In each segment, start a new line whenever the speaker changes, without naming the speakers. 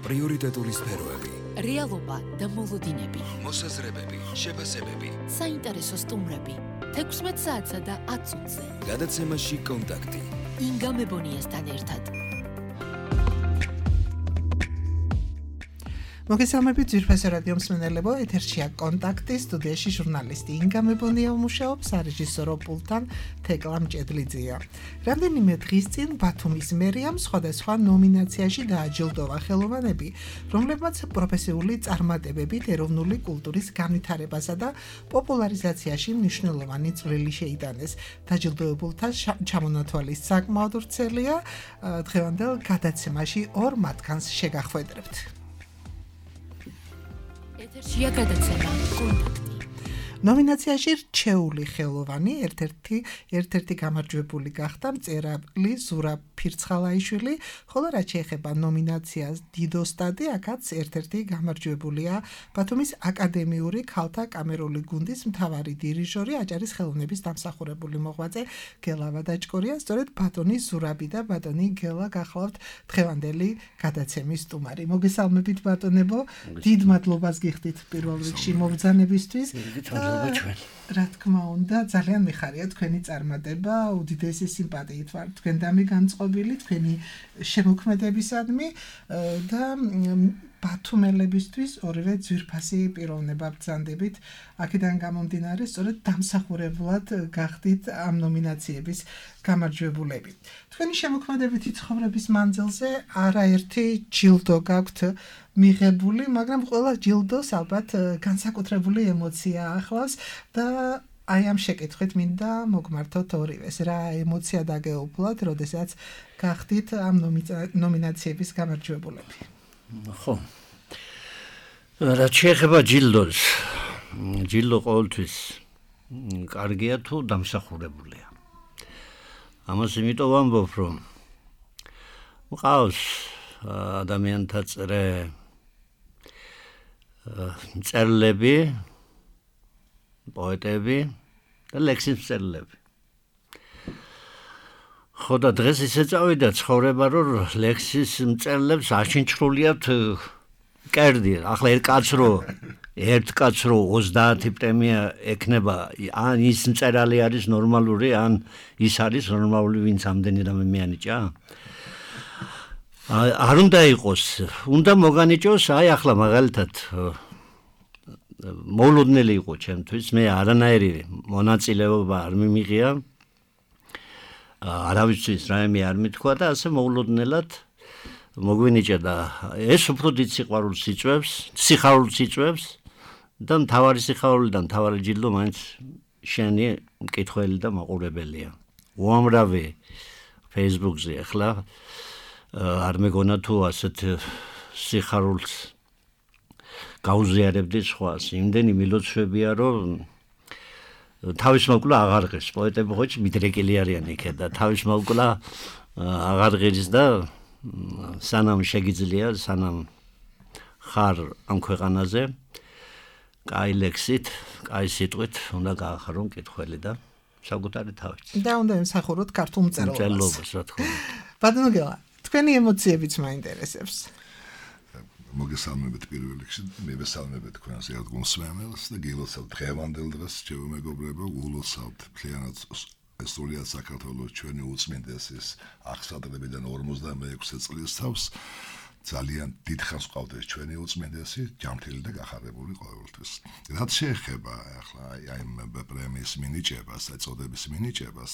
პრიორიტეტული სფეროები,
რეალობა და მოლოდინები,
მოსაზრებები, შეფასებები,
საინტერესო სტუმრები, 16 საათსა და 10 წუთზე.
გადაცემაში კონტაქტი.
ინგა მებონიასთან ერთად.
მოგესალმებით ძვირფასო რადიო მსმენელებო, ეთერშია კონტაქტი, სტუდიაში ჟურნალისტი ინგა მებონია მუშაობს, რეჟისორო პულტთან თეკლა მჭედლიძეა. რამდენიმე დღის წინ ბათუმის მერიამ სხვადასხვა ნომინაციაში დააჯილდოვა ხელოვანები, რომლებმაც პროფესიული წარმატებებით ეროვნული კულტურის განვითარებასა და პოპულარიზაციაში მნიშვნელოვანი წვლილი შეიტანეს. დაჯილდოებულთა ჩამონათვალის საკმაოდ ვრცელია, დღევანდელ გადაცემაში ორ მათგანს შეგახვედრებთ.
ეთერშია გადაცემა კონტაქტი.
ნომინაციაში რჩეული ხელოვანი ერთ-ერთი გამარჯვებული გახდა მწერალი ზურა ფირცხალაიშვილი, ხოლო რაც შეეხება ნომინაციას დიდოსტადი, აქაც ერთ-ერთი გამარჯვებულია ბათუმის აკადემიური ქალთა კამერული გუნდის მთავარი დირიჟორი, აჭარის ხელოვნების დამსახურებული მოღვაწე გელა ვადაჭკორია. სწორედ ბატონი ზურაბი და ბატონი გელა გახლავთ დღევანდელი გადაცემის სტუმარი. მოგესალმებით ბატონებო, დიდ მადლობას გიხდით პირველ რიგში მობრძანებისთვის. რა თქმა უნდა, ძალიან მიხარია თქვენი წარმატება, უდიდესი სიმპათიით ვარ თქვენდამი განწყობილი, თქვენი შემოქმედებისადმი და ბათუმელებისთვის ორივე ძვირფასი პიროვნება ბრძანდებით. აქედან გამომდინარე, სწორედ დამსახურებლად გახდით ამ ნომინაციების გამარჯვებულები. თქვენი შემოქმედებითი ცხოვრების მანძილზე არაერთი ჯილდო გაქვთ მიღებული, მაგრამ ყველა ჯილდოს ალბათ განსაკუთრებული ემოცია ახლავს და აი ამ შეკითხვით მინდა მოგმართოთ ორივეს. რა ემოცია დაგეუფლათ, როდესაც გახდით ამ ნომინაციების გამარჯვებულები?
ხო. რაც შეეხება ჯილდოს, ჯილდო ყოველთვის კარგია თუ დამსახურებულია. ამას იმიტომ ვამბობ, რომ მყავს ადამიანთა მწერლები, პოეტები და ლექსის მწერლები. ხო და დღეს ისე წავიდა ცხოვრება, რომ ლექსის მწერლებს აშინჩრულიათ კერდი. ახლა ერთ კაცს რო 30 პრემია ექნება, ან ის მწერალი არის ნორმალური, ან ის არის ნორმალური, ვინც ამდენი რამე მეანიჭა? არ უნდა იყოს, უნდა მოგანიჭოს, აი ახლა მაგალითად მოულოდნელი იყო ჩემთვის, მე არანაირი მონაწილეობა არ მიმიღია, არავისთვის რაიმე არ მithქვა და ასე მოულოდნელად მოგვინიჭა და ეს უფრო დიდ სიხარულს იწვევს და მთავარი სიხარული და მთავარი ჯილდო მაინც შენი მკითხველი და მაყურებელია. უამრავი Facebook-ზე ახლა არ მეგონა თუ ასეთ სიხარულს გაუზიარებდი სხვას. იმდენი მილოცვებია, რომ თავის მოკლა აღარ ღირს. პოეტები ხო მიდრეკილი არიან იქ და თავის მოკლა აღარ ღირს და სანამ შეგიძლია, სანამ ხარ ამ ქვეყანაზე, კაი ლექსით, კაი სიტყვით უნდა გაახარო მკითხველი და საკუთარი თავით.
და უნდა ემსახუროთ ქართულ მწერლობას.
რა თქმა უნდა.
ბატონო გელა, თქვენი ემოციებიც მაინტერესებს.
მოგესალმებით პირველ რიგში, მივესალმებით თქვენს ერთგულსმენელს და გილოცავთ დღევანდელ დღეს, ჩემო მეგობრებო, ულოცავთ მთლიანად სრულიად საქართველოს ჩვენი უწმინდესის აღსადებიდან 46 წლის თავს. ძალიან დიდხანს ყავდეს ჩვენი უწმინდესი, ჯანმრთელი და გახარებული ყოველთვის. რაც შეეხება ახლა აი პრემიის მინიჭებას, წოდების მინიჭებას,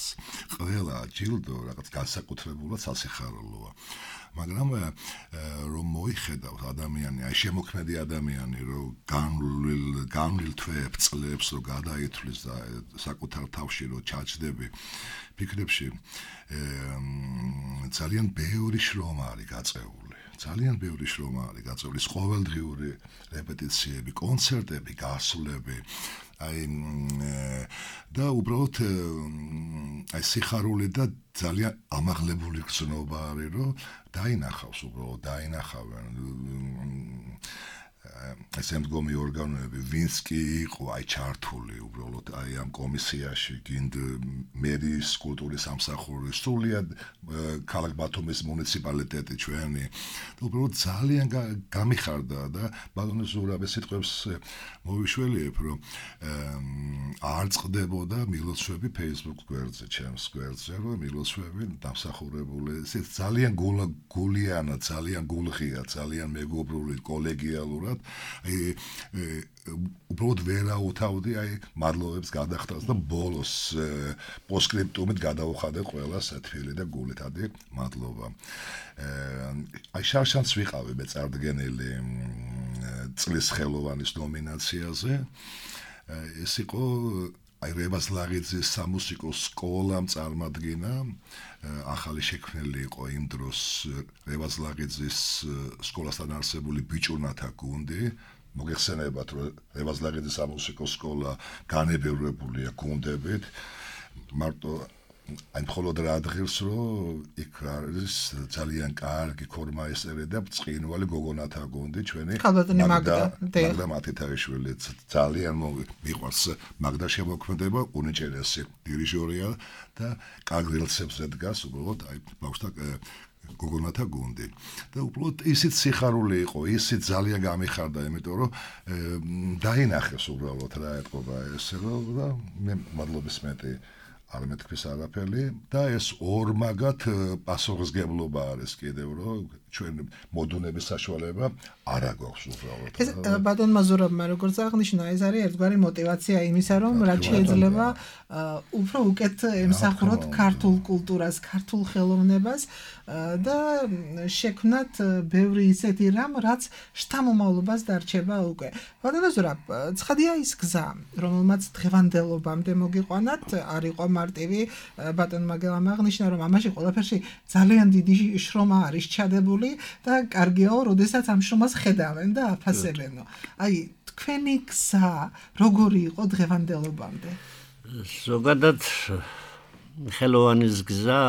ყველა ჯილდო რაღაც განსაკუთრებულად სასიხარულოა. მაგრამ რომ მოიხედავთ ადამიანი, აი შემოქმედი ადამიანი, რომ განვლილ თვეებს, წლებს რო გადაითვლის და საკუთარ თავში რო ჩაჯდები, ფიქრებში ძალიან ბევრი შრომა არის გაწეული. ძალიან ბევრი შრომა არის გაწეული, ყოველდღიური რეპეტიციები, კონცერტები, გასვლები, და უბრალოდ აი სიხარული და ძალიან ამაღლებული გრძნობა არის, რომ დაინახავს უბრალოდ, დაინახავენ ესე მდგომი ორგანოები ვინც კი იყო აი ჩართული უბრალოდ აი ამ კომისიაში გინდ მერის კულტურის სამსახური სრულიად ქალაქ ბათუმის მუნიციპალიტეტი ჩვენი უბრალოდ ძალიან გამიხარდა და ბატონო ზურაბის სიტყვებს მოვიშველიებ რომ არ წყდებოდა მილოცვები Facebook გვერდზე ჩემს გვერდზე რომ მილოცვები დამსახურებული ძალიან გულიანა ძალიან გულღია ძალიან მეგობრული კოლეგიალურად უბრალოდ ვერაუთავდი აი მადლობებს გადახდას და ბოლოს პოსტსკრიპტუმით გადავუხადე ყველას თბილი და გულითადი მადლობა აი შარშანს ვიყავი მე წარდგენილი წლის ხელოვანის ნომინაციაზე ეს იყო აი რევაზ ლაღიძის სამუსიკო სკოლამ წარმადგინა ახალი შექმნილი იყო იმ დროს რევაზ ლაღიძის სკოლასთან არსებული ბიჭუნათა გუნდი მოგეხსენებათ რომ რევაზ ლაღიძის სამუსიკო სკოლა განებევრებულია გუნდებით მარტო აი მხოლოდ რა ადგილს რომ იქ არის ძალიან კარგი ქორმაესტერი და ბრწყინვალე გოგონათა გუნდი ჩვენი მაგდა მათითაიშვილი ძალიან მიყვარს მაგდა შემოქმედება უნიჭერესი დირიჟორია და კარგ რელსებზე დგას უბრალოდ აი ბავშვთა გოგონათა გუნდი და უბრალოდ ისიც სიხარული იყო ისიც ძალიან გამიხარდა იმიტომ რომ დაინახეს უბრალოდ რა ეთქობა ესე რომ და მე მადლობის მეტი არ მეთქვის არაფერი და ეს ორმაგად პასუხისგებლობა არის კიდევ რომ ჩვენ მოდუნების საშუალება არ აქვს უბრალოდ.
ეს ბატონმა ზურაბმა როგორც აღნიშნა, ეს არის ერთგვარი мотиваცია იმისა, რომ რაც შეიძლება უფრო უკეთ ემსახუროთ ქართულ კულტურას, ქართულ ხელოვნებას და შექმნათ ბევრი ისეთი რამ, რაც შთამომავლობას დარჩება უკვე. ბატონო ზურაბ, ცხადია ის გზა, რომელმაც დღევანდელობამდე მოგიყვანათ, არ იყო მარტივი, ბატონმა გელამ აღნიშნა, რომ ამაში ყველაფერში ძალიან დიდი შრომა არის ჩადებული და კარგიაო, როდესაც ამ შრომას ხედავენ და აფასებენო. აი, თქვენი გზა როგორი იყო დღევანდელობამდე?
ზოგადად ხელოვანის გზა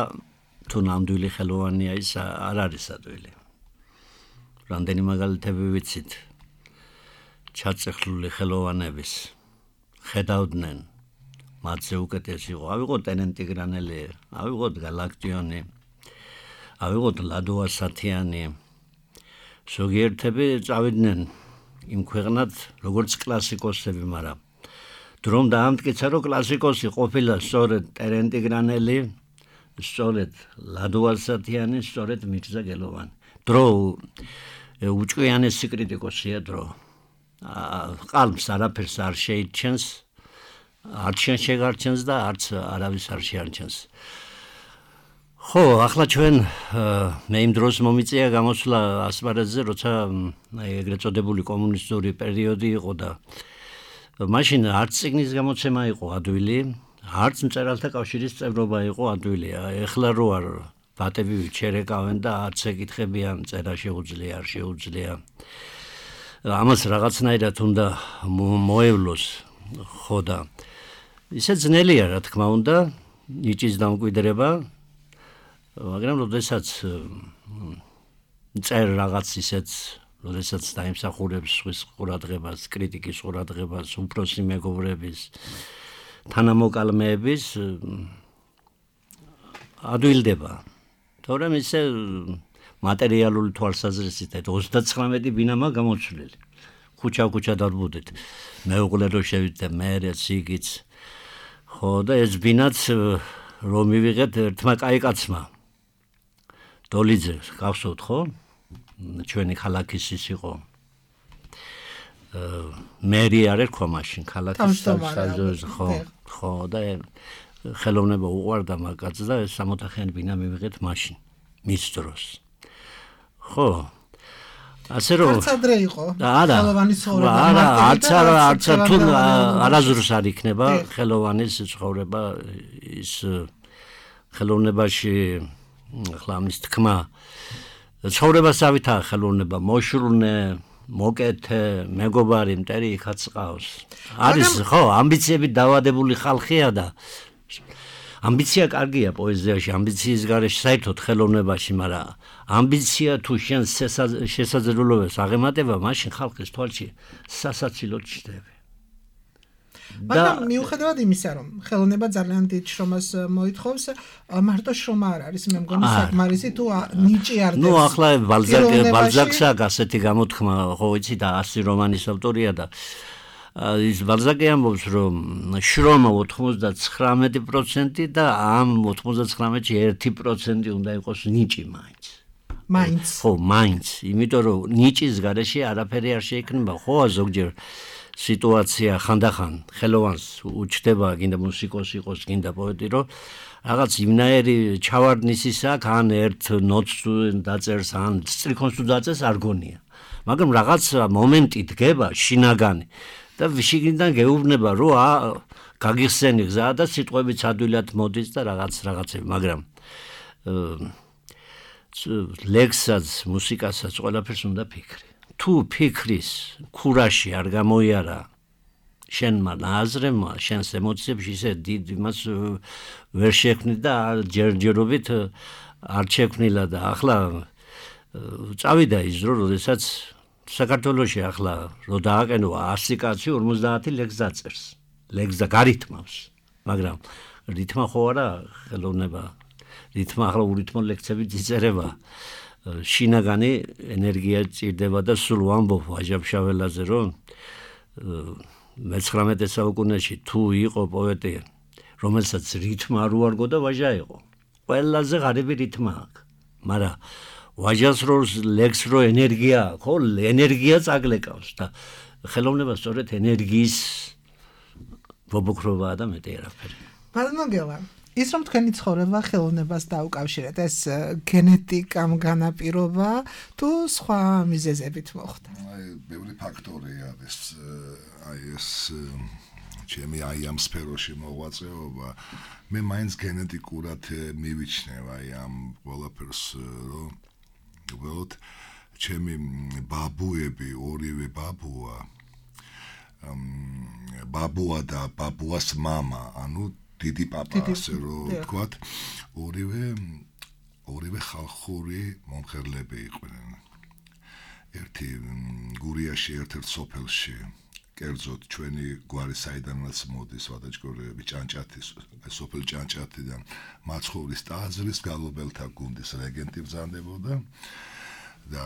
თუ ნამდვილი ხელოვანია ის არ არის ადვილი. რამდენი მაგალითები ვიცით ჩაწეხლული ხელოვანების ხედავდნენ მათზე უკეთესი იყო. ავიღოთ ტენენტიგრანელი, ავიღოთ გალაქტიონი, ავიღოთ ლადო ასათიანი. ზოგიერთები წავიდნენ იმ ქვეყნად როგორც კლასიკოსები, მაგრამ დრომ დაამტკიცა, რომ კლასიკოსი ყოფილა სწორედ ტენენტიგრანელი, სწორედ ლადო ასათიანი, სწორედ მირზა გელოვანი. დრო უჭკვიანესი კრიტიკოსია დრო. ყალბს არაფერს არ შეიჩენს, არც შენ შეგარჩენს და არც არავის არ შეარჩენს. ხო, ახლა ჩვენ მე იმ დროს მომიწია გამოსვლა ასპარეზზე, როცა ეგრეთ წოდებული კომუნისტური პერიოდი იყო და მაშინ არც წიგნის გამოცემა იყო ადვილი, არც მწერალთა კავშირის წევრობა იყო ადვილი. ეხლა რო არ ბატები ჩერეკავენ და არც ეკითხებიან წერა შეუძლია, არ შეუძლია. ამას რაღაცნაირად უნდა მოევლოს, ხო და ისე ძნელია, რა თქმა უნდა, ნიჭის დამკვიდრება, მაგრამ როდესაც წერ რაღაც ისეც, როდესაც დაიმსახურებს სხვის ყურადღებას, კრიტიკის ყურადღებას, უფროსი მეგობრების, თანამოკალმეების, ადვილდება. თორემ ისე მატერიალური თვალსაზრისით 39 ბინამა გამოცვლილი. ქუჩა დარბუდით. მეუღლე რო შევიდე, მერე სიგიც. ხო და ეს ბინაც რომ მივიღეთ ერთმა კაი კაცმა. დოლიძე, გახსოვთ ხო? ჩვენი ქალაქის ის იყო. მერი არ ერქვა მაშინ ქალაქის საზოგადოების ხო და ხელოვნება უყვარდა მაგაც და 60-ხიანი ბინა მივიღეთ მაშინ მის დროს. ხო. ასე რომ
არც ადრე იყო ხელოვანის ცხოვრება.
არც თუ არაზრუს არ იქნება ხელოვანის ცხოვრება ის ხელოვნებაში ახლა ამის თქმა ცხოვრებასავითაა ხელოვნება მოშრუნე მოკეთე მეგობარი მტერი იქაც ყავს არის ხო ამბიციებით დავადებული ხალხია და ამბიცია კარგია პოეზიაში, ამბიციის გარეშე საერთოდ ხელოვნებაში, მაგრამ ამბიცია თუ შენ შესაძლებლობებს აღემატება, მაშინ ხალხის თვალში სასაცილოდ ჩნდები.
მაგრამ მიუხედავად იმისა, რომ ხელოვნება ძალიან დიდ შრომას მოითხოვს, მარტო შრომა არ არის, მე მგონი საკმარისი თუ ნიჭი არ დეს.
ახლა ბალზაკს აქვს ასეთი გამოთქმა, ხო ვიცი და 100 რომანის ავტორია და ის ბალზაკი ამბობს, რომ შრომა 99% და ამ 99-ში 1% უნდა იყოს ნიჭი მაინც. ხო, მაინც, იმიტომ რომ ნიჭის გარეშე არაფერი არ შეიქმნება, ხო, ზოგჯერ სიტუაცია ხანდახან ხელოვანს უჩდება, გინდა მუსიკოსი იყოს, გინდა პოეტი, რომ რაღაც იმნაირი ჩავარდნისის აქვს, ან ერთ ნოტს დაწერს, ან სტრიქონს თუ დაწერს, არ გონია. მაგრამ რაღაც მომენტი დგება შინაგანი და შიგნიდან გეუბნება, რომ გაგიხსენი გზა და სიტყვებიც ადვილად მოდის და რაღაცები, მაგრამ ლექსსაც, მუსიკასაც ყველაფერს უნდა ფიქრი. თუ ფიქრის ქურაში არ გამოიარა შენმა აზრებმა, შენს ემოციებში ისე დიდ იმას ვერ შექმნი და ჯერჯერობით არ შექმნილა და ახლა წავიდა ის დრო, როდესაც საქართველოში ახლა რო დააყენო 100 კაცი 50 ლექს დაწერს. ლექს და გარითმავს, მაგრამ რითმა ხო არა ხელოვნება. რითმა ახლა ურითმო ლექსები იწერება. შინაგანი ენერგია ჭირდება და სულ ვამბობ ვაჟა-ფშაველაძე, რომ 19 საუკუნეში თუ იყო პოეტი, რომელსაც რითმა არ უარგო და ვაჟა იყო. ყველაზე ღარიბი რითმა აქვს. მაგრამ ვაჟას როლს ლექს რო ენერგია, ხო, ენერგია წაგლეკავს და ხელოვნება სწორედ ენერგიის ბობოქროვაა და მეტი არაფერი.
ბატონოგელა, ის რომ თქვენი ცხოვრება ხელოვნებას დაუკავშირეთ, ეს გენეტიკამ განაპირობა თუ სხვა მიზეზებით მოხდა?
ბევრი ფაქტორია ეს ჩემი ამ სფეროში მოღვაწეობა. მე მაინც გენეტიკურად მივიჩნევ ამ ყველაფერს, რომ უბრალოდ ჩემი ბაბუები, ორივე ბაბუა და ბაბუას მამა, ანუ დიდი პაპა, ასე რომ ვთქვათ, ორივე ხალხური მომხერლები იყვნენ. ერთი გურიაში, ერთ-ერთ სოფელში, კერძოდ ჩვენი გვარი საიდანაც მოდის, ვადაჭკორეები, ჭანჭათის, სოფელ ჭანჭათიდან მაცხოვრის ტაძრის გალობელთა გუნდის რეგენტი ბრძანდებოდა და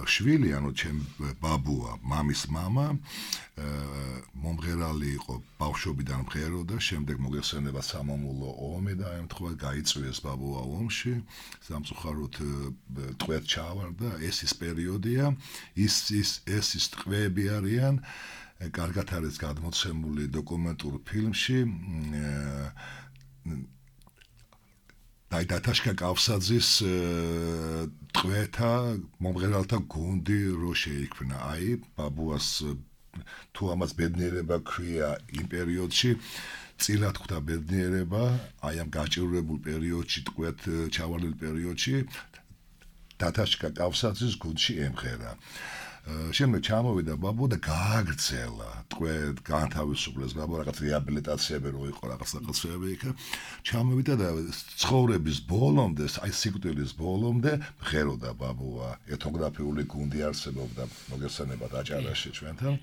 შვილი, ანუ ჩემ ბაბუა, მამის მამა, მომღერალი იყო, ბავშვობიდან მღეროდა, შემდეგ მოგეხსენება სამამულო ომი და ემთხვევა გაიწვიეს ბაბუა ომში, სამწუხაროდ ტყვედ ჩავარდა, ეს ის პერიოდია, ეს ის ტყვეები არიან, კარგად არის გადმოცემული დოკუმენტურ ფილმში, დაიტაშკა კავსაძის ტყვეთა მომღერალთა გუნდი რო შეიქმნა. აი, ბაბუას თუ ამას ბედნიერება ქვია იმ პერიოდში, წილად ხვდა ბედნიერება, აი ამ გაჭირვებულ პერიოდში, ტყვედ ჩავარდნილ პერიოდში, დათაშკა კავსაძის გუნდში ემღერა. შემდეგ ჩამოვიდა ბაბუ და გააგრძელა ტყვედ განთავისუფლეს ბაბუ, რაღაც რეაბილიტაციები რო იყო, რაღაცები იქ ჩამოვიდა და ცხოვრების ბოლომდე, აი სიკვდილის ბოლომდე მღეროდა ბაბუა, ეთნოგრაფიული გუნდი არსებობდა, მოგესალმება დაჭარაში ჩვენთან,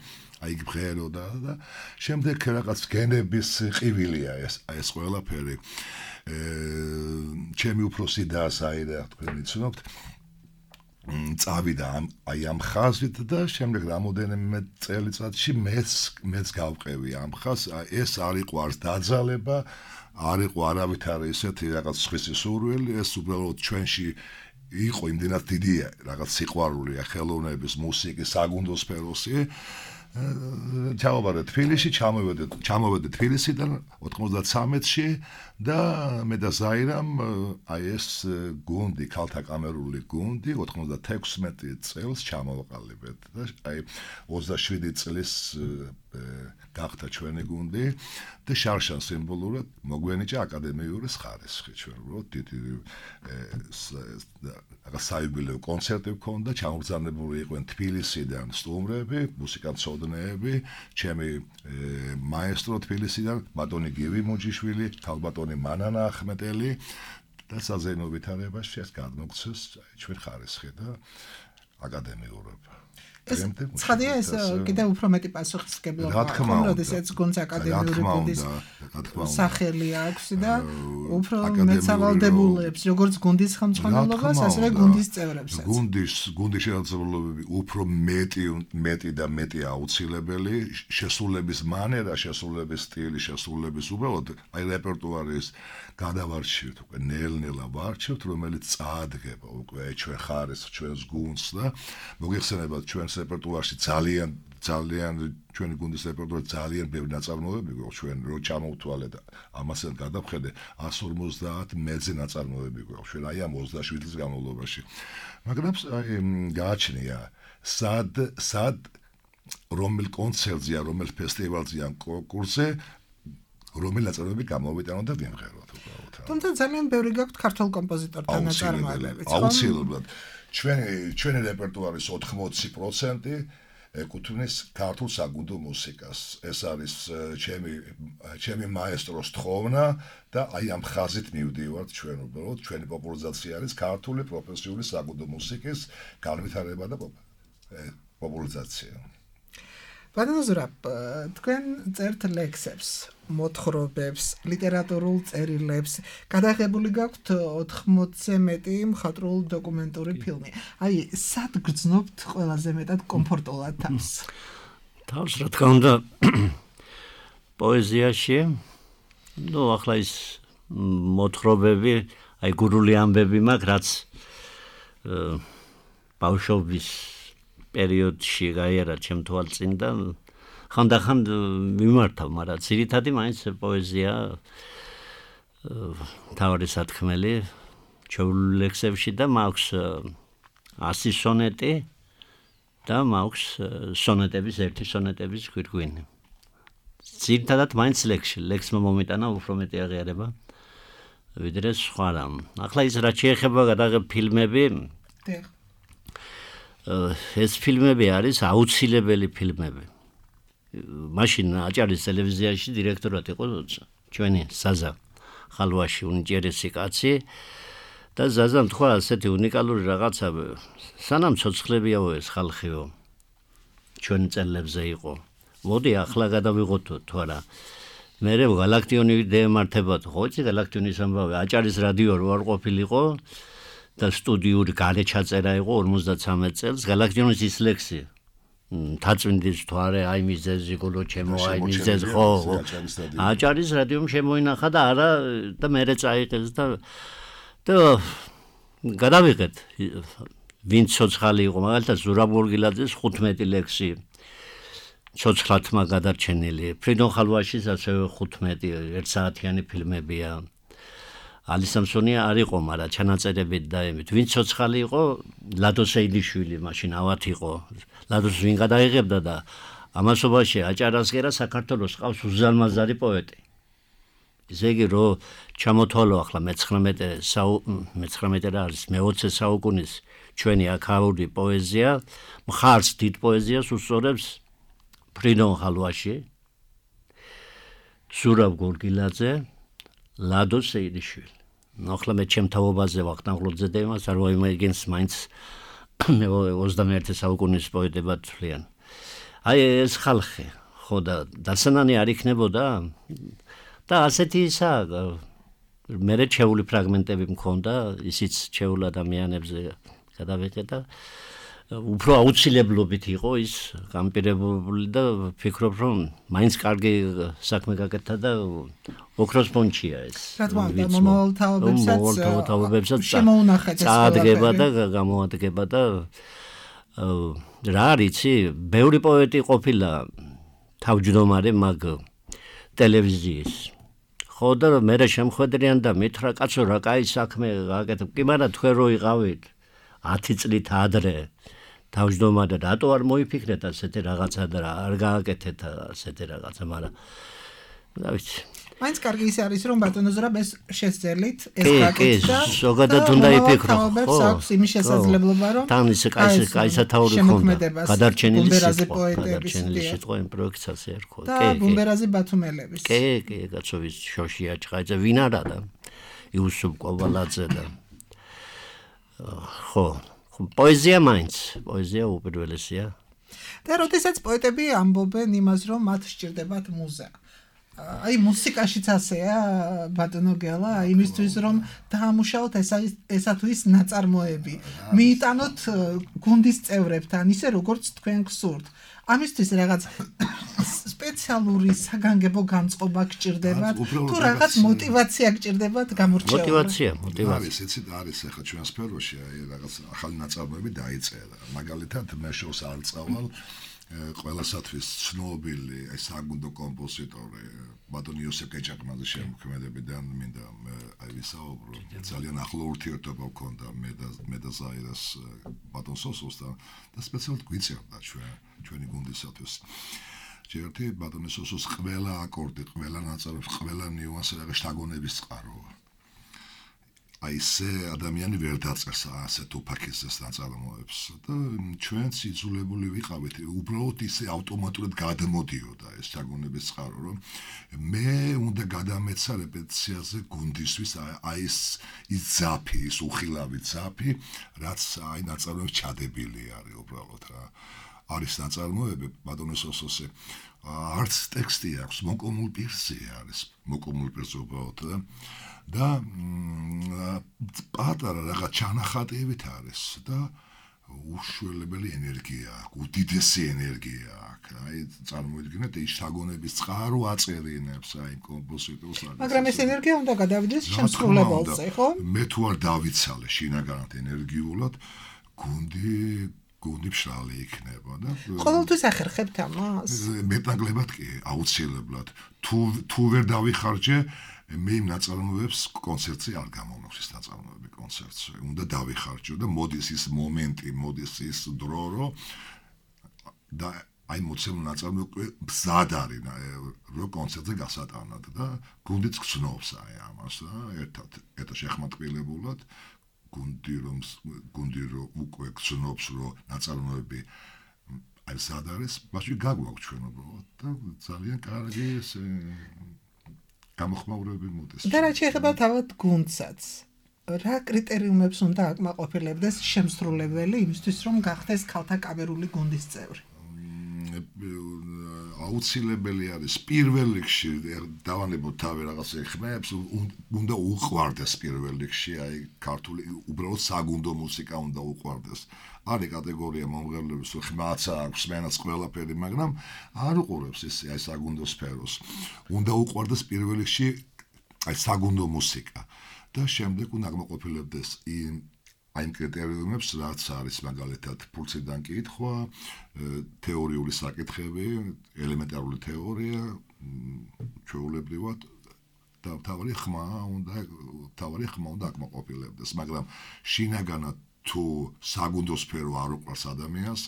აი იქ მღეროდა და შემდეგ რაღაც გენების ყივილია ეს ყველაფერი. ჩემი უფროსი და საირა თქვენ იცნობთ, წავიდა აი ამ ხაზით და შემდეგ რამოდენიმე წელიწადში მეც გავყევი ამ ხაზს. ეს არ იყო არც დაძალება, არ იყო არავითარი ესეთი რაღაც სხვისი სურვილი, ეს უბრალოდ ჩვენში იყო იმდენად დიდი რაღაც სიყვარული ხელოვნების, მუსიკის, საგუნდო სფეროსი. ჩავაბარეთ თბილისში, ჩამოვედი თბილისიდან 93-ში და მე და ზაირამ აი ეს გუნდი, ქალთა კამერული გუნდი 96 წელს ჩამოვაყალიბეთ და აი 27 წლის გახდა ჩვენი გუნდი და შარშან სიმბოლურად მოგვენიჭა აკადემიური ხარისხი ჩვენ უბრალოდ დიდი საიუბილეო კონცერტი გქონდა ჩამოგზავნებული იყვნენ თბილისიდან სტუმრები მუსიკანტები ჩემი მაესტრო თბილისიდან ბატონი გივი მოჯიშვილი ქალბატონი მანანა ახმეტელი და საზეიმო ვითარებაში ეს გადმოგცეს ჩვენ ხარისხი და აკადემიურობა
ცხადია ეს კიდევ უფრო მეტი პასუხისმგებლობა აქვს, როდესაც გუნდს აკადემიური გუნდის სახელი აქვს და უფრო მეტ სავალდებულებს, როგორც გუნდის ხელმძღვანელობას, ასევე გუნდის წევრებსაც.
გუნდის შესაძლებლობები უფრო მეტი და მეტი აუცილებელი, შესრულების მანერა, შესრულების სტილი, შესრულების უბრალოდ აი რეპერტუარის გადავარჩევთ, უკვე ნელ-ნელა ვარჩევთ, რომელიც წაადგება უკვე ჩვენ ხარისხს, ჩვენს გუნდს და მოგიხსენებათ ჩვენს რეპერტუარში ძალიან ჩვენი გუნდის რეპერტუარში ძალიან ბევრი ნაწარმოებები გვაქვს ჩვენ რო ჩამოვთვალეთ ამასთან გადავხედე 150 მეძე ნაწარმოებები გვაქვს ჩვენ აი ამ 27 წლის განმავლობაში მაგრამ გააჩნია სად რომელ კონცერტზე რომელ ფესტივალზე ან კონკურსზე რომელ ნაწარმოებები გამოვიტანოთ და ვიმღეროთ უბრალოდ
თუმცა ძალიან ბევრი გაქვთ ქართულ კომპოზიტორთან ნაწარმოებები
აუცილებლად ჩვენი რეპერტუარის 80% ეკუთვნის ქართულ საგუნდო მუსიკას. ეს არის ჩემი მაესტროს თხოვნა და აი ამ ხაზით მივდივართ ჩვენ უბრალოდ ჩვენი პოპულარიზაცია არის ქართული პროფესიული საგუნდო მუსიკის განვითარება და პოპულარიზაცია.
ბატონო ზურაბ, თქვენ წერთ ლექსებს, მოთხრობებს, ლიტერატურულ წერილებს, გადაღებული გაქვთ 80-ზე მეტი მხატვრულ დოკუმენტური ფილმი. აი, სად გრძნობთ ყველაზე მეტად კომფორტულად თავს?
თავს რა თქმა უნდა პოეზიაში, ახლა ის მოთხრობები, აი გურული ამბები მაქვს, რაც ბავშვობის პერიოდში გაიარა ჩემ თვალწინ და ხანდახან მიმართავ, მაგრამ ძირითადი მაინც პოეზია თავი სათქმელი ჩვეულებრივ ლექსებში და მაქვს 100 სონეტი და მაქვს სონეტების ერთი სონეტების გვირგვინი. ძირითადად მაინც ლექსმა მომიტანა უფრო მეტი აღიარება ვიდრე სხვა რამ. ახლა ის რაც შეეხება გადაღებ ფილმები ეს ფილმები არის აუცილებელი ფილმები. მაშინ აჭარის ტელევიზიაში დირექტორად იყო ჩვენი ზაზა ხალვაში უნიჭერესი კაცი და ზაზამ თქვა ასეთი უნიკალური რაღაცა სანამ ცოცხლებიაო ეს ხალხიო ჩვენ წელებზე იყო. მოდი ახლა გადავიღოთ თუ არა. მე გალაქტიონი დემართებათ ხო იცი გალაქტიონის ამბავი აჭარის რადიო არ ყოფილიყო და სტუდიური გარე ჩაწერა იყო 53 წელს გალაქტიონის ის ლექსი თაწმინდის თვარე აი მიზეზი გულო ჩემო აი მიზეზ ხო აჭარის რადიომ შემოინახა და არა და მერე წაიღეს და გადავიღეთ ვინც ცოცხალი იყო მაგალითად ზურაბ გორგილაძის 15 ლექსი ცოცხლათმა გადარჩენილი ფრიდონ ხალვაშის ასევე 15 1 საათიანი ფილმებია ალი სამსონია არ იყო, მაგრამ ჩანაწერებით და ემით. ვინ ცოცხალი იყო? ლადო სეილიშვილი, მაშინ ავად იყო. ლადოს ვინ გადაიღებდა და ამასობაში აჭარასკერა საქართველოს ყავს უზარმაზარი პოეტი. ისე იგი რომ ჩამოთვალო ახლა მე-19 რა არის მე-20 საუკუნის ჩვენი აქაური პოეზია, მხარს დიდ პოეზიას უსწორებს ფრიდონ ხალვაში, ზურაბ გორგილაძე ლადო სეილიშვილი. ახლა მე ჩემ თაობაზე ვახტანგლოძე და იმას არ ვაიმაგინს მაინც 21 საუკუნის პოეტებად თვლიან. აი ეს ხალხი, ხო და დასანანი არ იქნებოდა და ასეთი ისაა მე რჩეული ფრაგმენტები მქონდა, ისიც ჩეულ ადამიანებზე გადავიღე და უფრო აუცილებლობით იყო ის გამპირებული და ვფიქრობ რომ მაინც კარგი საქმე გაკეთა და ოქროს პონჩია ეს.
რა თქმა უნდა, მომავალ შემოუნახეთ ეს
წაადგება და გამოადგება და რა არიცი, ბევრი პოეტი ყოფილა თავმჯდომარე მაგ ტელევიზიის. ხო და მე შემხედრიან და მითხრა კაცო რა კაი საქმე გაკეთებ. კი, მაგრამ თქვენ რო იყავით 10 წლით ადრე თავმჯდომარე და რატო არ მოიფიქრეთ ასეთი რაღაცა და არ გააკეთეთ ასეთი რაღაცა, მაგრამ რა ვიცი.
მაინც კარგი ის არის რომ ბატონო ზურაბ ეს შეძელით ეს გაკეთდა.
ზოგადად უნდა იფიქრო.
ხო, აქვს იმის შესაძლებლობა რომ
თან ისე კაი სათაური ხონდა. გადარჩენილი სიტყვა იმ პროექტსაც ერქვა.
და ბუმბერაზი ბათუმელების.
კი, კაცოვის შოშია ჭყაიძე ვინ არა და იუსუფ კოვალაძე და ხო, პოეზია მაინც, პოეზია უპირველესია.
და როდესაც პოეტები ამბობენ იმას რომ მათ სჭირდებათ მუზა. აი მუსიკაშიც ასეა ბატონო გელა, იმისთვის რომ დაამუშავოთ ესა თუ ის ნაწარმოები. მიიტანოთ გუნდის წევრებთან, ისე როგორც თქვენ გსურთ. ამისთვის რაღაც სპეციალური საგანგებო განწყობა გჭირდებათ, თუ რაღაც მოტივაცია გჭირდებათ გამორჩეულად.
მოტივაცია.
არის ახლა ჩვენ სფეროში რაღაც ახალი ნაწარმოები დაიწერა. მაგალითად მე შოუს არ წავალ ყველასათვის ცნობილი საგუნდო კომპოზიტორი ბატონი იოსებ კეჭაკმაძის შემოქმედებიდან მინდა აი ვისაუბრო. ძალიან ახლო ურთიერთობა გქონდა მე და ზაირას ბატონ სოსოსთან და სპეციალურად გვიწევდა ჩვენი გუნდისათვის. ჯერტი ბატონი სოსოს ყველა აკორდი, ყველა ნაწარმოები, ყველა ნიუანსი რაღაც შთაგონების წყაროა. აი ესე ადამიანი ვერ დაწერს ასეთ უფაქისეს ნაწარმოებს და ჩვენც იძულებული ვიყავით უბრალოდ ისე ავტომატურად გადმოდიოდა ეს შთაგონების წყარო რომ მე უნდა გადამეცა რეპეტიციაზე გუნდისთვის აი ეს ძაფი, ის უხილავი ძაფი, რაც აი ნაწარმოებს ჩადებული არის უბრალოდ რა. არის ნაწარმოები ბატონო სოსოსე არც ტექსტი აქვს, მოკომულ პირზე არის, მოკომულ პირზე უბრალოდ და პატარა რაღაც ჩანახატებით არის და უშველებელი ენერგია აქვს, უდიდესი ენერგია აქვს. აი წარმოიდგინეთ ის შთაგონების წყარო აწერინებს აი კომპოზიტორს.
მაგრამ ეს ენერგია უნდა გადავიდეს შემსრულებელზე, ხო?
მე თუ არ დავიცალე შინაგანად ენერგიულად, გუნდი ფშალი იქნება და
ყოველთვის ახერხებთ ამას?
მეტნაკლებად კი, აუცილებლად. თუ ვერ დავიხარჯე მე იმ ნაწარმოებებს კონცერტზე არ გამომაქვს ეს ნაწარმოები კონცერტზე. უნდა დავიხარჯო და მოდის ის მომენტი, მოდის ის დრო, რომ და აი მოცემულ ნაწარმოებში მზად არის რომ კონცერტზე გასატანად და გუნდიც გწნობს აი ამას და ერთად შეხმატკილებულად გუნდი რომ უკვე გწნობს რომ ნაწარმოები აი მზად არის, მაშინ გაგვაქვს ჩვენ უბრალოდ და ძალიან კარგი ეს გამოხმაურები მოდის.
და რაც შეეხება თავად გუნდსაც, რა კრიტერიუმებს უნდა აკმაყოფილებდეს შემსრულებელი იმისთვის რომ გახდეს ქალთა კამერული გუნდის წევრი?
აუცილებელი არის პირველ რიგში დავანებოთ თავი რაღაც ხმებს, უნდა უყვარდეს პირველ რიგში აი ქართული უბრალოდ საგუნდო მუსიკა უნდა უყვარდეს. არის კატეგორია მომღერლების რომ ხმაც აქვს, მენაც ყველაფერი, მაგრამ არ უყურებს ეს აი საგუნდო სფეროს. უნდა უყვარდეს პირველ რიგში აი საგუნდო მუსიკა და შემდეგ უნდა აკმაყოფილებდეს აი იმ კრიტერიუმებს, რაც არის მაგალითად ფურციდან კითხვა, თეორიული საკითხები, ელემენტარული თეორია, ჩვეულებრივად და თავარი ხმა უნდა აკმაყოფილებდეს, მაგრამ შინაგანად თუ საგუნდო სფერო არ უყვარს ადამიანს,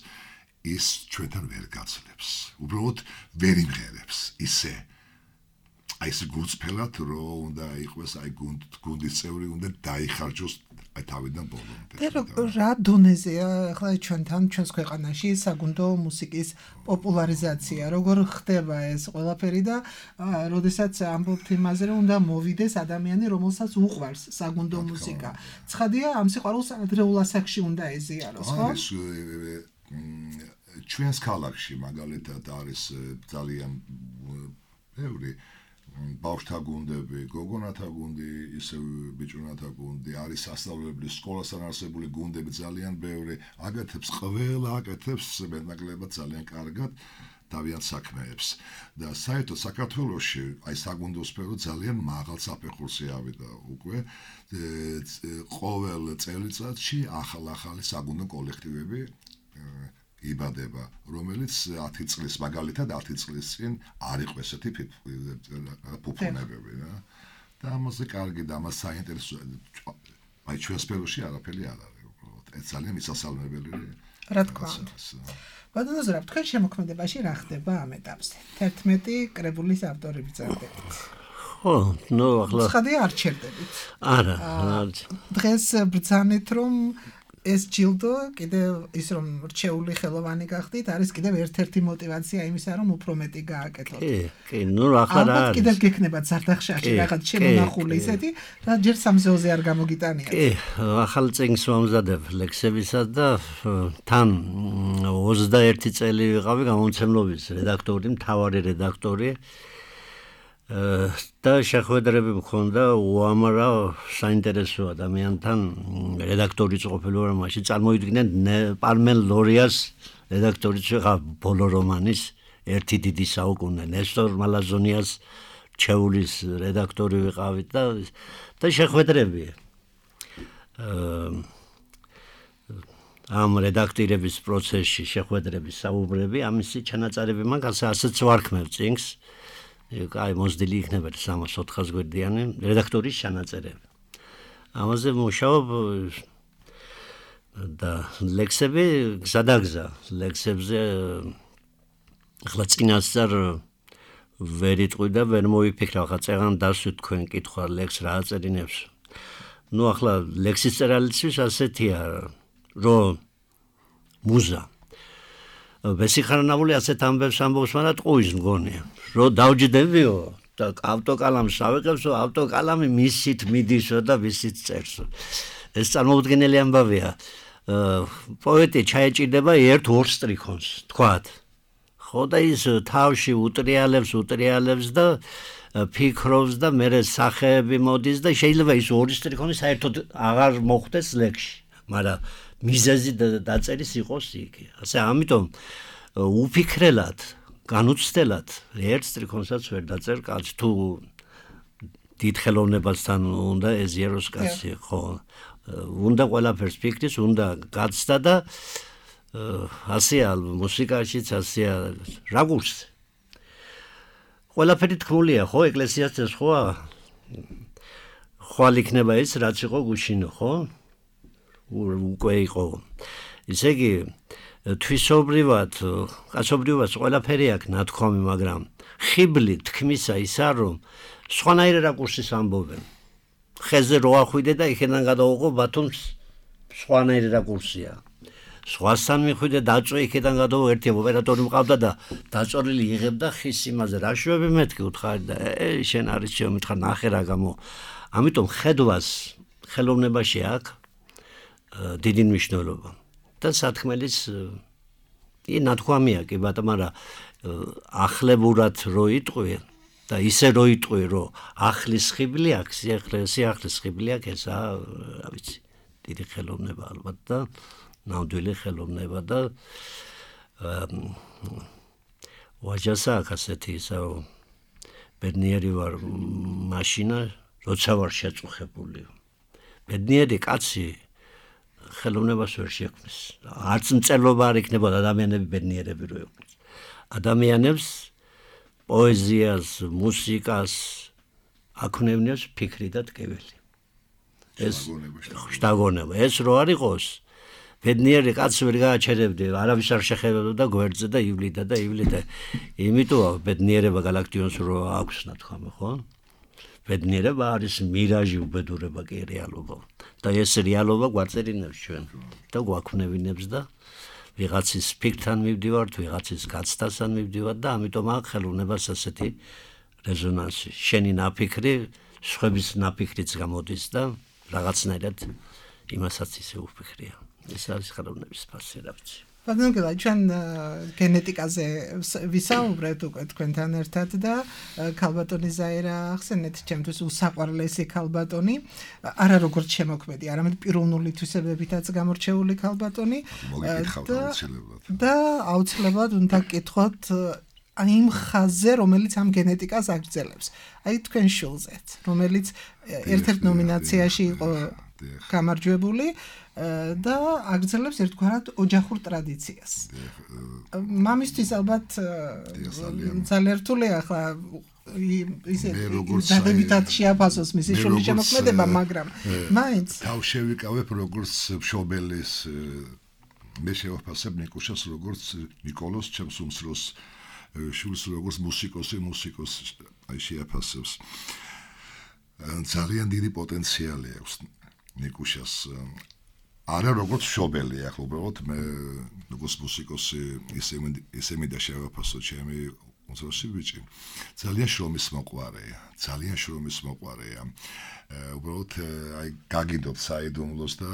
ის ჩვენთან ვერ გაძლებს. უბრალოდ ვერ იმღერებს ისე. აი ეს გულწრფელად რომ უნდა იყოს აი გუნდის წევრი უნდა დაიხარჯოს აი თავიდან ბოლომდე.
რა დონეზეა ახლა ჩვენს ქვეყანაში საგუნდო მუსიკის პოპულარიზაცია, როგორ ხდება ეს ყველაფერი და როდესაც ამბობთ იმაზე რომ უნდა მოვიდეს ადამიანი, რომელსაც უყვარს საგუნდო მუსიკა. ცხადია ამ სიყვარულს ადრეულ ასაკში უნდა ეზიაროს, ხო?
ჩვენს ქალაქში მაგალითად არის ძალიან ბევრი ბავშვთა გუნდები, გოგონათა გუნდი, ისე ბიჭუნათა გუნდი, არის სასწავლებლის სკოლასთან არსებული გუნდები ძალიან ბევრი, აკეთებს მეტნაკლებად ძალიან კარგად თავიანთ საქმეებს. და საერთოდ საქართველოში აი საგუნდო სფერო ძალიან მაღალ საფეხურზე ავიდა უკვე. ყოველ წელიწადში ახალი საგუნდო კოლექტივები იბადება, რომელიც 10 წლის მაგალითად 10 წლის წინ არ იყო ესეთი ფუფუნებები რა. და ამაზე კარგი და ამას საინტერესო აი ჩვენ სფეროში არაფერი არ არის უბრალოდ. ეს ძალიან მისასალმებელი
რა თქმა უნდა. ბატონო ზურაბ, თქვენ შემოქმედებაში რა ხდება ამ ეტაპზე? 11 კრებულის ავტორი ბრძანდებით.
ხო, ნუ ახლა
ცხადია არ ჩერდებით.
არა,
დღეს ბრძანეთ რომ ეს ჯილდო კიდევ ის რომ რჩეული ხელოვანი გახდით, არის კიდევ ერთ-ერთი мотиваცია იმისა, რომ უფრო მეტი გააკეთოთ.
კი, ნუ ახლა რა
ალბათ კიდევ გექნებათ ზარდახშაში რაღაც შემონახული ისეთი, რა ჯერ სამზეოზე არ გამოგიტანიათ.
კი, ახალ წიგნს ვამზადებ ლექსებისა და თან 21 წელი ვიყავი გამომცემლობის რედაქტორი, მთავარი რედაქტორი. და შეხვედრები მქონდა უამრავ საინტერესო ადამიანთან რედაქტორიც ყოფილი ვარ მაშინ წარმოიდგინეთ პარმენ ლორიას რედაქტორიც ვიყავ ბოლო რომანის ერთი დიდი საუკუნე ნესტორ მალაზონიას ჩეულის რედაქტორი ვიყავით და შეხვედრები ამ რედაქტირების პროცესში შეხვედრების საუბრები ამისი ჩანაწერები მაგას ასეც ვარქმევ წიგნს აი მოსდილი იქნება 300-400 გვერდიანი რედაქტორის ჩანაწერები. ამაზე მუშაობ და ლექსები გზადაგზა ლექსებზე ახლა წინასწარ ვერ იტყვი და ვერ მოვიფიქრე ახლა წეღან დასვით თქვენ კითხვა ლექს რა აწერინებს. ნუ ახლა ლექსის წერალისთვის ასეთია რომ მუზა ბესიხარნავული ასეთ ამბებს ამბობს მაგრამ ტყუის მგონია რომ დავჯდებიო და ავტოკალამს ავიღებსო ავტოკალამი მისით მიდისო და მისით წერსო ეს წარმოუდგენელი ამბავია პოეტი ჩაეჭირდება ერთ-ორ სტრიქონს თქვათ ხო და ის თავში უტრიალებს და ფიქრობს და მერე სახეები მოდის და შეიძლება ის ორი სტრიქონი საერთოდ აღარ მოხდეს ლექსში მაგრამ მიზეზი დაწერის იყოს იქ. ასე ამიტომ უფიქრელად, განუცდელად ერთ სტრიქონსაც ვერ დაწერ კაცი თუ დიდ ხელოვნებასთან უნდა ეზიაროს კაცი, ხო. უნდა ყველაფერს ფიქრის, უნდა გაცდა და ასეა მუსიკაშიც ასეა რაგურს. ყველაფერი თქმულია, ხო, ეკლესიას ეს ხოა. ხვალ იქნება ის, რაც იყო გუშინო, ხო? უკვე იყო. ისე იგი თვისობრივად, კაცობრიობას ყველაფერი აქვს ნათქვამი, მაგრამ ხიბლი თქმისა ისა რომ სხვანაირი რაკურსის ამბობენ. ხეზე რო ახვიდე და იქიდან გადავიღო ბათუმს სხვანაირი რაკურსია. სხვასთან მიხვიდე დაწვე იქიდან გადავიღო ერთი ოპერატორი მყავდა და დაწორილი იღებდა ხის იმაზე რა შვები მეთქი უთხარი და შენ არის შემომითხარ ნახე რა გამო. ამიტომ ხედვას ხელოვნებაში აქვს დიდი მნიშვნელობა და სათქმელის ნათქვამია კი ბატონო მაგრამ ახლებურად რო იტყვი და ისე რო იტყვი რომ ახლის ხიბლი აქვს სიახლის ხიბლი აქვს ესა რა ვიცი დიდი ხელოვნება ალბათ და ნამდვილი ხელოვნება და ვაჯასა აქვს ასეთი ისა რომ ბედნიერი ვარ მაშინა როცა ვარ შეწუხებული ბედნიერი კაცი ხელოვნებას ვერ შექმნის. არც მწერლობა არ იქნებოდა ადამიანები ბედნიერები რო იყვნენ. ადამიანებს პოეზიას, მუსიკას აქვთ ფიქრი და ტკივილი. ეს შთაგონება. ეს რო არ იყოს, ბედნიერი კაცი ვერ გააჩერებდი, არავის არ შეხებოდა გვერდზე და ივლიდა. იმიტომ ბედნიერება გალაქტიონს რო აქვს ნათქვამი, ხო? ბედნიერება არის მირაჟი უბედურება კი რეალობა. და ეს რეალობა გვაწერინებს ჩვენ და გვაქვნევინებს და ვიღაცის ფიქრთან მივდივართ, ვიღაცის გაცდასთან მივდივართ და ამიტომ აქვს ხელოვნებას ასეთი რეზონანსი. შენი ნაფიქრი, სხვების ნაფიქრიც გამოდის და რაღაცნაირად იმასაც ისე უფიქრია. ეს არის ხელოვნების ფასი, რა ვიცი.
ბატონო, ჩვენ გენეტიკაზე ვისაუბრეთ უკვე თქვენთან ერთად და ქალბატონი ზაირა ახსენეთ ჩემთვის უსაყვარლესი ქალბატონი, არა როგორც შემოქმედი, არამედ პიროვნული თვისებებითაც გამორჩეული ქალბატონი და აუცილებლად უნდა გკითხოთ იმ ხაზზე, რომელიც ამ გენეტიკას აგრძელებს. აი თქვენ შულზეც, რომელიც ერთ-ერთ ნომინაციაში იყო გამარჯვებული და აგრძელებს ერთგვარად ოჯახურ ტრადიციას. მამისთვის ალბათ ძალიან რთულია ახლა ისე დადებითად შეაფასოს მისი შულის შემოქმედება, მაგრამ მაინც
თავ შევიკავებ როგორც მშობელის მე შევაფასებ ნიკუშას როგორც ნიკოლოს ჩემს უმცროს შვილს როგორც მუსიკოსი აი შეაფასებს ძალიან დიდი პოტენციალი აქვს ნიკუშას არა როგორც მშობელი ახლა უბრალოდ მე როგორც მუსიკოსი ისე მინდა შევაფასო ჩემი უმცროსი ბიჭი ძალიან შრომის მოყვარეა უბრალოდ აი გაგიდოთ საიდუმლოს და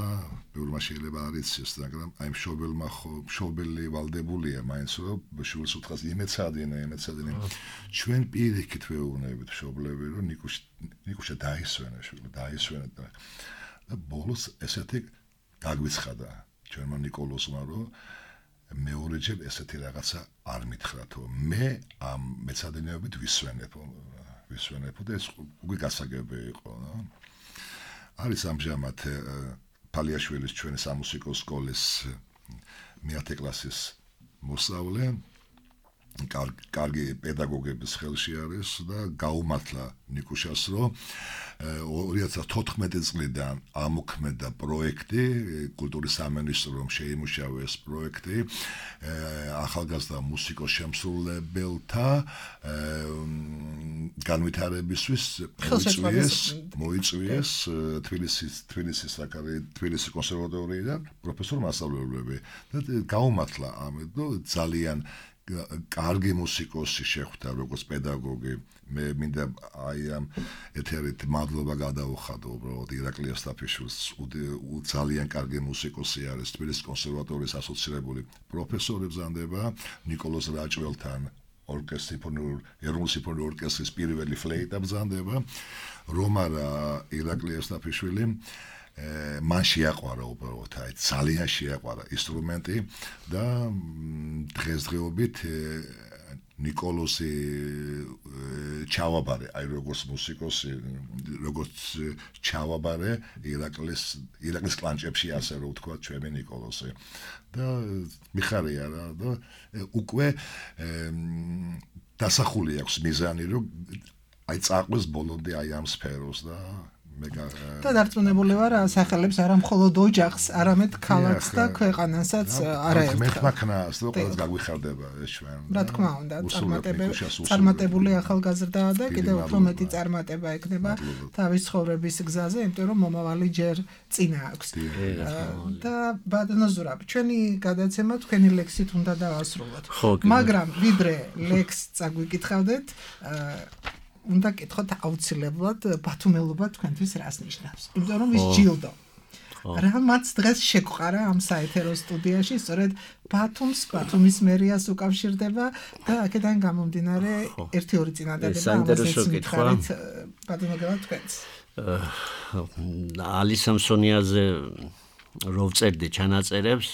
ბევრმა შეიძლება არ იცის მაგრამ აი მშობელი ვალდებულია მაინც რომ შვილს უთხრას იმეცადინე ჩვენ პირიქით ვეუბნებით მშობლები რომ ნიკუშა დაისვენა და ბოლოს ესეთი გაგვიცხადა ჩვენმა ნიკოლოსმა რომ მეორეჯერ ესეთი რაღაცა არ მითხრათო მე ამ მეცადინეობით ვისვენებო და ეს უკვე გასაგები იყო არის ამჟამად ფალიაშვილის ჩვენი სამუსიკო სკოლის მე-10 კლასის მოსწავლე კარგი პედაგოგების ხელში არის და გაუმართლა ნიკუშას რომ 2014 წლიდან ამოქმედა პროექტი კულტურის სამინისტრომ შეიმუშავა ეს პროექტი ახალგაზრდა მუსიკოს შემსრულებელთა განვითარებისთვის მოიწვიეს თბილისის კონსერვატორიიდან პროფესორ მასწავლებლები და გაუმართლა ამიტომ ძალიან კარგი მუსიკოსი შეხვდა როგორც პედაგოგი მე მინდა აი ამ ეთერით მადლობა გადაუხადო უბრალოდ ირაკლი ასტაფიშვილს ძალიან კარგი მუსიკოსი არის თბილისის კონსერვატორიის ასოცირებული პროფესორი ბრძანდება ნიკოლოზ რაჭველთან ეროვნული სიმფონიური ორკესტრის პირველი ფლეიტა ბრძანდება რომარა ირაკლი ასტაფიშვილი მან შეაყვარა უბრალოდ აი ძალიან შეაყვარა ინსტრუმენტი და დღესდღეობით ნიკოლოზი ჩავაბარე აი როგორც მუსიკოსი როგორც ჩავაბარე ირაკლის კლანჭებში ასე რომ ვთქვა ჩვენი ნიკოლოზი და მიხარია რა და უკვე დასახული აქვს მიზანი რომ აი წაყვეს ბოლომდე აი ამ სფეროს და
და დარწმუნებული ვარ სახელებს არა მხოლოდ ოჯახს, არამედ ქალაქს და ქვეყანასაც არაერთხელ.
მეთმაქნას და ყველას გაგვიხარდება ეს ჩვენ.
რა თქმა უნდა, წარმატებული ახალგაზრდაა და კიდევ უფრო მეტი წარმატება ექნება თავის ცხოვრების გზაზე, იმიტომ რომ მომავალი ჯერ წინა აქვს. და ბატონო ზურაბ, ჩვენი გადაცემა თქვენი ლექსით უნდა დავასრულოთ. მაგრამ ვიდრე ლექსს წაგვიკითხავდეთ, უნდა კითხოთ აუცილებლად ბათუმელობა თქვენთვის რას ნიშნავს. იმიტომ რომ ის ჯილდო. რამაც დღეს შეგვყარა ამ საეთერო სტუდიაში, სწორედ ბათუმის მერიას უკავშირდება და აქედან გამომდინარე 1-2 წინადადება
საინტერესო კითხვა.
ბატონო გელა თქვენს.
ალი სამსონიაზე რო ვწერდი ჩანაწერებს,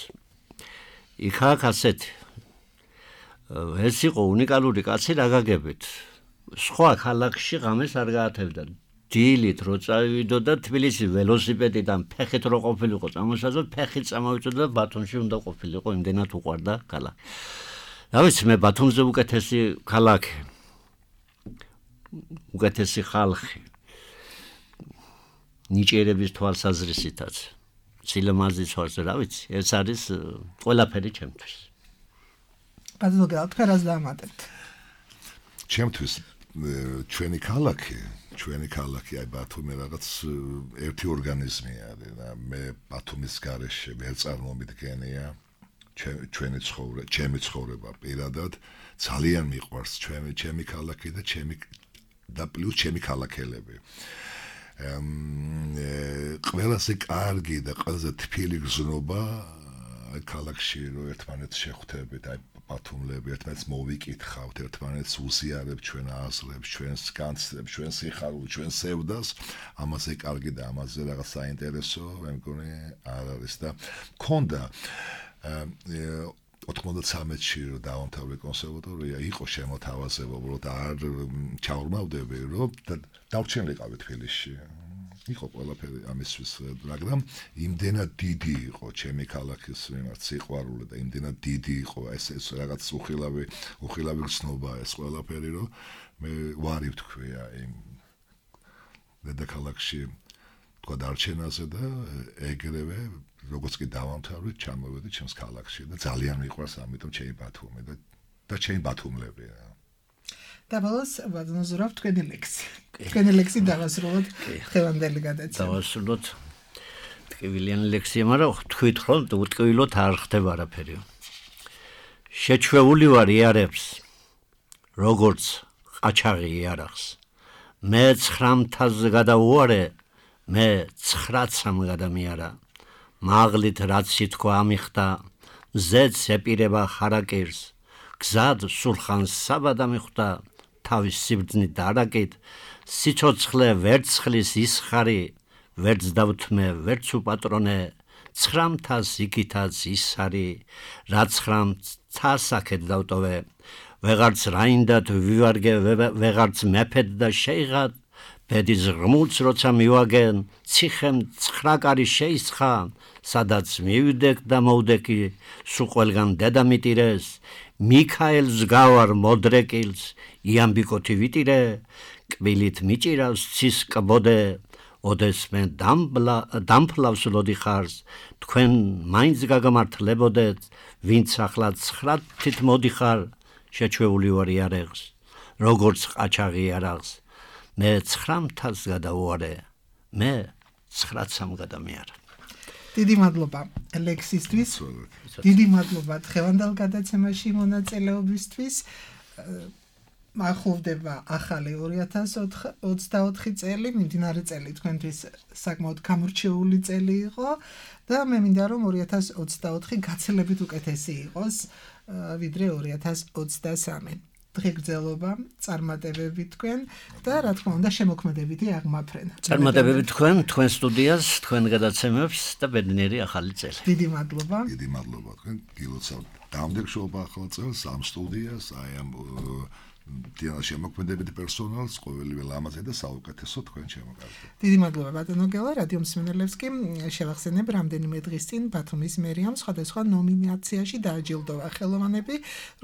იქ ასეთი. ეს იყო უნიკალური კაცი რა გაგებით. სხვა ქალაქში ღამეს არ გაათევდა. დილით რო წავიდო და თბილისის ველოსიპედიდან ფეხით რო ყოფილიყო წამოსაზო, ფეხით წამოვიწოდა და ბათუმში უნდა ყოფილიყო, იმდენად უყვარდა ქალაქი. რა ვიცი, მე ბათუმზე უკეთესი ქალაქი. უკეთესი ხალხი. ნიჭიერების თვალსაზრისითაც. სილამაზის თვალსაზრისით, რა ვიცი, ეს არის ყველაფერი ჩემთვის.
ბატონო გელა, თქვენ რას დაამატებთ?
ჩემთვის ჩვენი ქალაქი აი ბათუმი რაღაც ერთი ორგანიზმი არის და მე ბათუმის გარეშე ვერ წარმომიდგენია ჩემი ცხოვრება პირადად ძალიან მიყვარს ჩემი ქალაქი და პლუს ჩემი ქალაქელები ყველაზე კარგი და ყველაზე თბილი გზნობა აი ქალაქში რო ერთმანეთს შეხვდებით აი ბათუმლები ერთმანეთს მოვიკითხავთ ერთმანეთს უზიარებთ ჩვენ აზრებს ჩვენს განცდებს ჩვენ სიხარულს ჩვენ სევდას ამაზე კარგი და ამაზე რაღაც საინტერესო მე მგონი არ არის და მქონდა 93-ში რომ დავამთავრე კონსერვატორია იყო შემოთავაზება უბრალოდ არ ჩაურმავდები რომ დავრჩენილიყავი თბილისში იყო ყველაფერი ამისთვის მაგრამ იმდენად დიდი იყო ჩემი ქალაქის მიმართ სიყვარული და იმდენად დიდი იყო ეს რაღაც უხილავი გრძნობა ეს ყველაფერი რომ მე ვარი ვთქვია იმ დედაქალაქში თქვა დარჩენაზე და ეგრევე როგორც კი დავამთავრეთ, ჩამოვედი ჩემს ქალაქში და ძალიან მიყვარს ამიტომ ჩემი ბათუმი და ჩემი ბათუმლებია.
და ბოლოს ვაზნოზურავ თქვენი ლექსი. თქვენი ლექსი დავასრულოთ ხელამდელი გადაცემა.
დავასრულოთ ტკივილიანი ლექსია, მაგრამ თქვით რომ უტკივილოთ არ ხდება არაფერი. შეჩვეული ვარ იარებს, როგორც ყაჩაღი იარაღს. მე 9-ს გადავუარე, მე 9-ს გადამიარა. მაღლით რაც სიტყვა ამიხდა, მზეც ეპირება ხარაკირს. გზად სულხანს საბადა მიხვდა, თავის სიბრძნით დარაკით, სიცოცხლე ვერცხლის ისხარი, ვერც დავთმე, ვერც უპატრონე, 9-ს იქითაც ის არის, რაც 9-ს აქეთ დავტოვე, ვეღარც რაინდად ვივარგე, ვეღარც მეფედ და შეიღად, ბედის ღმულს როცა მივაგენ, ციხემ 9 კარი შეისხა, სადაც მივიდეკ და მოვდეკი, სულ ყველგან დედამიტირეს, მიქაელს გავარ მოდრეკილს, იამბიკოთი ვიტირე, კბილით მიჭირავს ცის კბოდე, ოდესმე დამფლავს ლოდიხარს, თქვენ მაინც გაგამართლებოდეთ, ვინც ახლა 9-თით მოდიხარ, შეჩვეული ვარ იარაღს, როგორც ყაჩაღი იარაღს, მე 9-ს გადავუარე, მე 9-სამ გადამიარა.
დიდი მადლობა ლექსისთვის, დიდი მადლობა დღევანდელ გადაცემაში მონაწილეობისთვის. ახლოვდება ახალი 2024 წელი, მიმდინარე წელი თქვენთვის საკმაოდ გამორჩეული წელი იყო და მე მინდა რომ 2024 გაცილებით უკეთესი იყოს ვიდრე 2023. დღეგრძელობა, წარმატებები თქვენ და რა თქმა უნდა შემოქმედებითი აღმაფრენა.
წარმატებები თქვენ სტუდიას, თქვენ გადაცემებს და ბედნიერი ახალი წელი.
დიდი მადლობა.
დიდი მადლობა თქვენ გილოცავთ დამდეგშობა ახალ წელს ამ სტუდიას, აი ამ შემოქმედებითი პერსონალს, ყოველივე ლამაზე და საუკეთესო თქვენ შემოგარდეთ.
დიდი მადლობა ბატონო გელა, რადიო მსმენელებს კი შევახსენებ რამდენიმე დღის წინ ბათუმის მერიამ სხვადასხვა ნომინაციაში დააჯილდოვა ხელოვანები,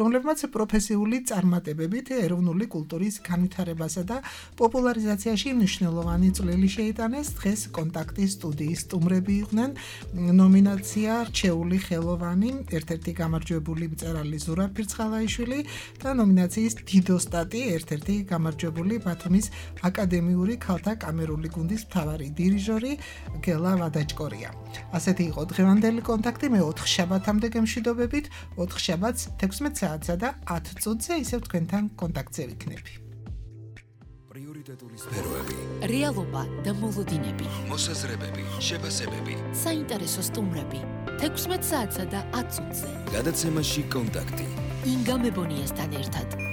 რომლებმაც პროფესიული წარმატებებით ეროვნული კულტურის განვითარებასა და პოპულარიზაციაში მნიშვნელოვანი წვლილი შეიტანეს. დღეს კონტაქტის სტუდიის სტუმრები იყვნენ ნომინაცია რჩეული ხელოვანი, ერთ-ერთი გამარჯვებული მწერალი ზურაბ ფირცხალაიშვილი და ნომინაციის ოსტატი ერთ-ერთი გამარჯვებული ბათუმის აკადემიური ქალთა კამერული გუნდის მთავარი დირიჟორი გელა ვადაჭკორია. ასეთი იყო დღევანდელი კონტაქტი, მე 4 შაბათამდე გემშვიდობებით, 4 შაბათს 16 საათსა და 10 წუთზე ისევ თქვენთან კონტაქტზე ვიქნები.
პრიორიტეტული სფეროები,
რეალობა და მოლოდინები,
მოსაზრებები, შეფასებები,
საინტერესო სტუმრები, 16 საათსა და 10 წუთზე.
გადაცემაში კონტაქტი.
ინგა მებონიასთან ერთად.